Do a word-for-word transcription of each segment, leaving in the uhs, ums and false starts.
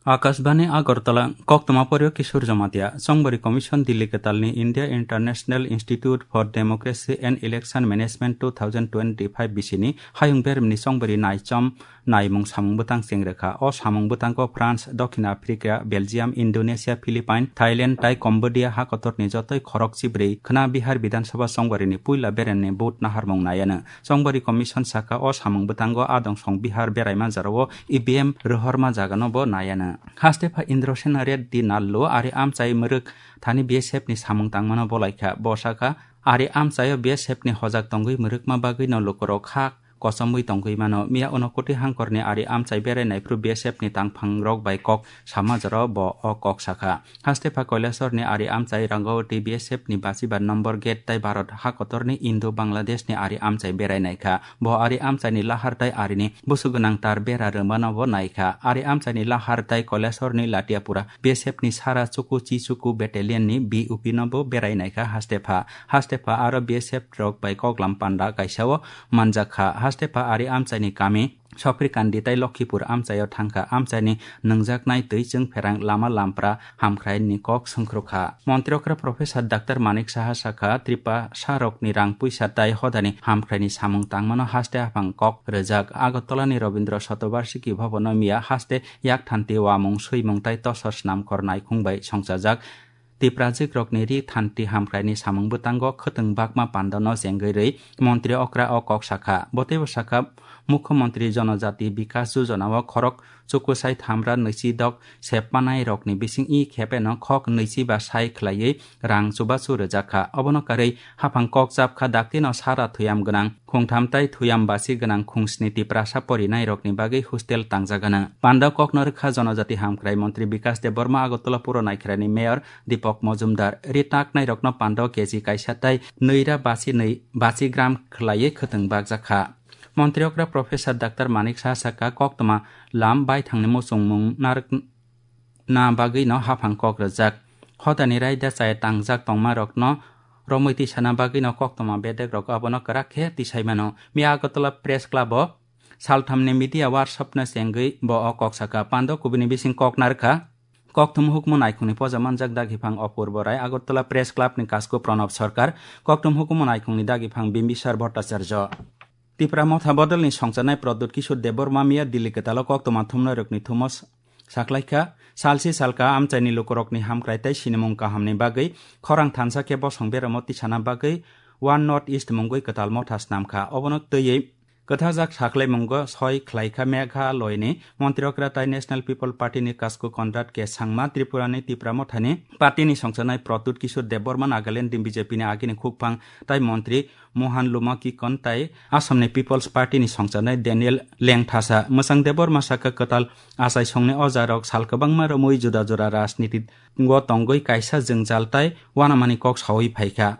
Akashbani Agartala, koktwma poryo Kishore Jamatia, Chongbari Commission Delhi kwtalni India International Institute for Democracy and Election Management two thousand twenty-five bisini hayung beremni chongbari naichom naimung samung bwtang chengrekha. O samung bwtango France, Dokhin Africa, Belgium, Indonesia, Philippines, Thailand tai Cambodia hakotorni jotoi khorok chibrwi khwna Bihar Bidhan Sabha chongbarini puila beremni vote naharmung naiano. Chongbari Commission saka o samung bwtango adong song Bihar beraima jarao E V M rohorma jagano bo naiano. Haste pha Indrasena Reddy Nallu ari amchai mwrwk thani B S F ni samung tangmano bolaikha. Bo saka, ari amchaio B S F ni hojak tongwi mwrwkma bagwino lukurok kha kochomwi tongwi mano. Miya Unakoti hangkorni ari amchai berai naiphru B S F ni tangphangrok bai kok sama jora bo o kok sakha. Haste pha Kailasor ni ari amchai Rangawati B S F ni basibar number gate tai Bharat hakotor ni Indo Bangladesh ni ari amchai berai naikha. Bo ari amchai ni lahar tai ari ni busu gwnang tar bera rwmano bo naikha. Ari amchai ni lahar tai Kailasor ni Latiapura B S F ni sara chuku chi chuku battalion ni B U P no bo berai naikha haste pha. Haste pha aro B S F rok bai koklam panda kaisa o manjak kha. Haste pha ari amchai ni kami Sopirkandi tai Lokhipur amchaio thangkha. Amchaini nwngjak nai twi chwng pherang lama lampra hamkhrai ni kok swngkhrukha. Montri okra Professor Doctor Manik Saha sakha, Tripura sarokni rang puisa tai hodani hamkhraini samung tangmano haste haphang kok rwjak. Agartala ni Rabindra Shatobarshiki Bhavan o miya haste yak thanti wamung swimung tai tosor snamkhor naikhung bai songchajak. Tiprajwk rokni ri thanti hamkhraini samung bwtango khwtwng bakma pandano chengwi rwi montri okra o kok sakha. Bo teibo sakha, Mukhyamantri Jonojati Bikas Jojona o khorok chukusai thamra nwichi dok sepmanai rokni bising i khepeno khok nwichi ba sai khwlaiwi rang chubachu rwjakha. Obono karwi haphang kok chapkha, daktino sara thuyam gwnang khungtham tai thuyam basi gwnang khungsni Tiprasa porinairokni bagwi hostel tangjagano. Panda kokno rwkha Jonojati Hamkhrai Montri Bikas Debbarma, Agartala Puro Naikharani Mayor Deepak Majumdar. Ri taknairokno panda o K G kaisa tai nwira basi nwi basi gram khwlaiwi khwtwng bakjakha. Montri okra Professor Doctor Manik Saha sakha, koktwma lam baithangni muchungmung narwk na bagwino haphang kok rwjak. Hodani raida chaya tangjak tongmarokno romwi tisana bagwino koktwma bedekrok abono kwrak khe tisai mano. Miya Agartala Press Club o salthamni media workshop no chengwi bo o kok sakha. Pando kubuni bising kok narwkha. Kokthum hukumu naikhungni poja manjak dagiphang Apurbo Rai, Agartala Press Club ni kasku Pranab Sarkar, kokthum hukumu naikhungni dagiphang Bimbisar Bhattacharya. Tipra Motha bodolni songcharnai Pradyut Kishore Debbarma miya Delhi kwtalo koktwma thumnairokni thumo s-, saklaikha. Salsi salka amchaini lukurokni hamkrai tei sinimung kahamni bagwi khorang thansa khe bosong beramo tisana bagwi One North East mungwi kwtal motha snamkha. Obono twiwi kwthajak sakhlaimungo soi khlaikha Meghalaya ni Montri okra tai National People Party ni kasku Conrad K Sangma, Tripura ni Tipra Mothani party ni songcharnai Pradyut Kishore Debbarma, Nagaland ni B J P ni agini khukphang tai montri Mohan Luma Kikon tai Assam ni People's Party ni songcharnai Daniel Lengthasa. Mwchang Debbarma sakha, kwtal achaisongni ojarok sal kwbangma romwi juda juda rajniti o tongwi kaisa jwngjal tai uanamani kok saui phaikha.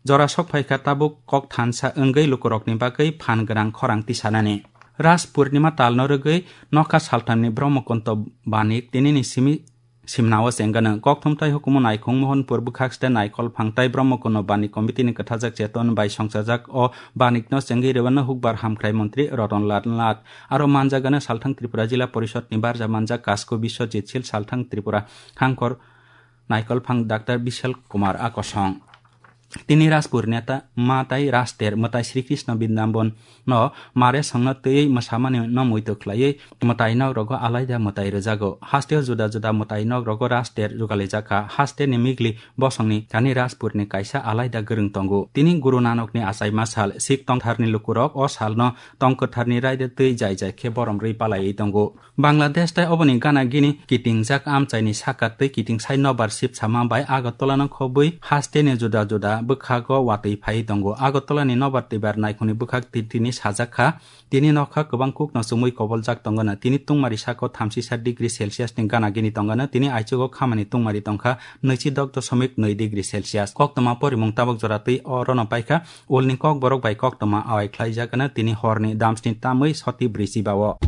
Jora sok phaikha tabuk kok thansa wngwi lukurokni bagwi phan gwnang khorang tisanani. Ras Purnima talno rwgwi nokha salthamni Brahmakonto Banik tinini simi simnao chengano. Kokthum tai hukumu naikhung Mohanpur bwkhak site Naikol Phang tai Brahmakonto Banik Committee ni kwthajak cheton bai songchajak o banikno chengwi rwano hukbar hamkhrai montri Ratan Lal Nath. Aro manjagano Salthang Tripura Jila Porishod ni barja manjak Kasko Biswajit Sil, Salthang Tripura Hangkor Naikol Phang Doctor Bishal Kumar Akosong. Tini Raspur neta ma tai Raster mwtai Sri Krishna Brindaban no mare songno twiwi mwsamani no muitu khlaiwi mwtai nok rogo alaida mwtai rwjago. Hasteo juda juda mwtai nok rogo Raster jugalijaka. Haste ni migli bosongni thani Raspur ni kaisa alaida gwrwng tongo. Tini Guru Nanok ni achaima sal, Sikh tongtharni lukurok o salno tong kwtharni raida twi jai jai khe borom rwi palaiwi tongo. Bangladesh tai oboni gana gini kitingjak amchaini saka twi kitingsai nobar sipsama bai Agartala no khobwi hasteni juda juda bwkhago watwi phaiwi tongo. Agartala ni nobar twibar naikhungni bwkhak twi tini sajak kha, tini nokha kwbang kukno chumui koboljak tongano. Tini tungmari sako thamsisa degree Celsius ni gana gini tongano, tini aichugo khamani tungmari tongkha nwichi dok dosomik nwi degree Celsius. Koktwma porimung tabuk jora twi orono paikha. Ulni kokborok bai koktwma awai khlaijakgano tini horni damsni tamwi soti brwi chibao.